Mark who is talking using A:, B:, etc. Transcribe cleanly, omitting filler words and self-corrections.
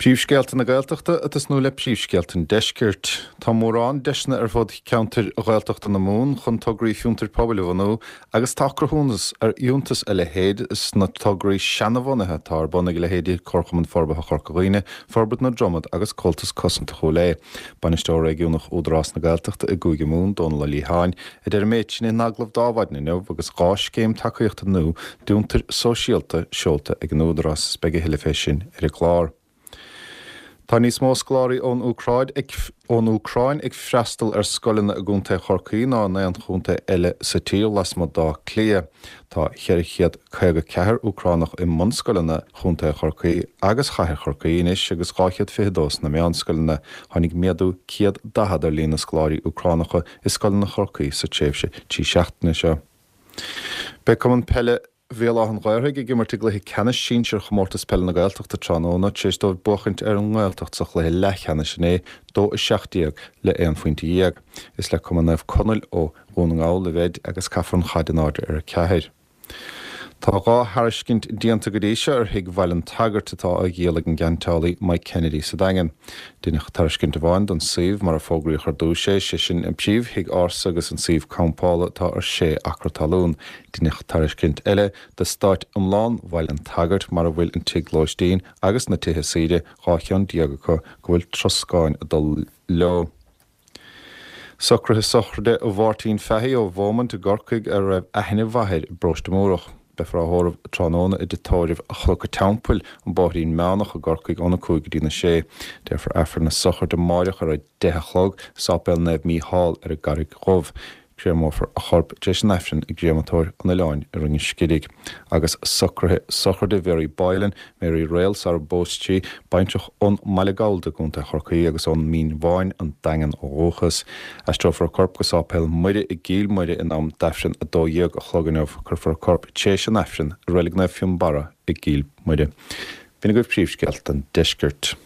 A: Príomhscéalta na Gaeltachta ag tosnú le príomhscéalta an Deiscirt. Tá mórán deiseanna ar fud cheantair Ghaeltachta na Mumhan chun tograí fiontair pobail a bhunú agus tá cruthúnas ar fhiúntas a leithéid sna tograí seanabhunaithe atá ar bun ag leithéidí Comharchumann Forbartha Chorca Dhuibhne, Forbairt na Dromad agus Comhaltas Cosanta Chúil Aodha. Bainisteoir Réigiúnach Údarás na Gaeltachta i gCúige Mumhan, Dónal Ó Liatháin, a deir an méid sin in agallamh d'Adhmhaidin inniu agus 2 scéim tacaíochta nua d'fhiontair sóisialta seolta ag an Údarás is beidh a thuilleadh fé sin ar an gclár. Tá níos mó scoláirí ón Úcráid ag ón Úcráin ag freastal ar scoileanna i gContae Chorcaí ná in aon chontae eile sa tír lasmuigh d'Áth Cliath. Tá 454 Úcránach i mbunscoileanna Chontae Chorcaí agus Chathair Chorcaí anois agus 222 sna meánscoileanna. Tháinig méadú 140 ar líon na scoláirí Úcránacha i scoileanna Chorcaí sa tréimhse 3 seachtaine seo. Beidh Cumann Peile Bhéal Átha an Ghaorthaidh ag imirt i gcluiche ceannais sinsir Chomórtas Peile na Gaeltachta tráthnóna tar éis dóibh buachaint ar an nGaeltacht sa chluiche leathcheannais inné, 2-17 le 11 phointe. Is le Cumann Naomh Conaill ó Dhún na nGall a bheid agus caithfear an chaid in airde ar a 4. Tá 2 thairiscint déanta go dtí seo ar thigh Bhaile an tSagairt atá á dhíol ag an gceantálaí Mike Kennedy sa Daingean. Deineadh tairiscint amháin don suíomh mar a fógraíodh ar dtús é, sé sin an príomh-thigh ársa agus an suíomh campála atá ar 6 acra talún. Deineadh tairiscint eile d'eastát iomlán Bhaile an tSagairt mar a bhfuil an tigh lóistín agus na tithe saoire, 12 cheann acu, go bhfuil troscáin ag dul leo. Socruithe sochraide Mháirtín Fahy ó Bheaumont i gCorcaigh a raibh aithne mhaith air i bParóiste Múrach. Beifear á thórramh tráthnóna i dTigh Tórraimh Chnoc an Teampaill, An Bóithrín Meánach i gCorcaigh óna 5 go dtína 6. Déarfar Aifreann na sochraide amáireach ar a 10 a chlog i Sáipéal Naomh Mícheál ar an gCarraig Dhubh. Créamófar a chorp tar éis an Aifrinn i gCréamatóir an Oileáin i Rinn an Scirig. Agus socruithe sochraide Mhary Boylan, Mary Réal sara bpós sí, baintreach ón mBaile Gallda i gContae Chorcaí agus ón Mín Bháin, An Daingean ó dhúchas. Aistreofar a corp go Sáipéal Muire i gCill Mhuire in am d'Aifreann 12 a chlog inniu. Cuirfear a corp tar éis an Aifrinn i Reilig Naomh Fionnbarra i gCill Mhuire. B'in agaibh príomhscéalta an deiscirt.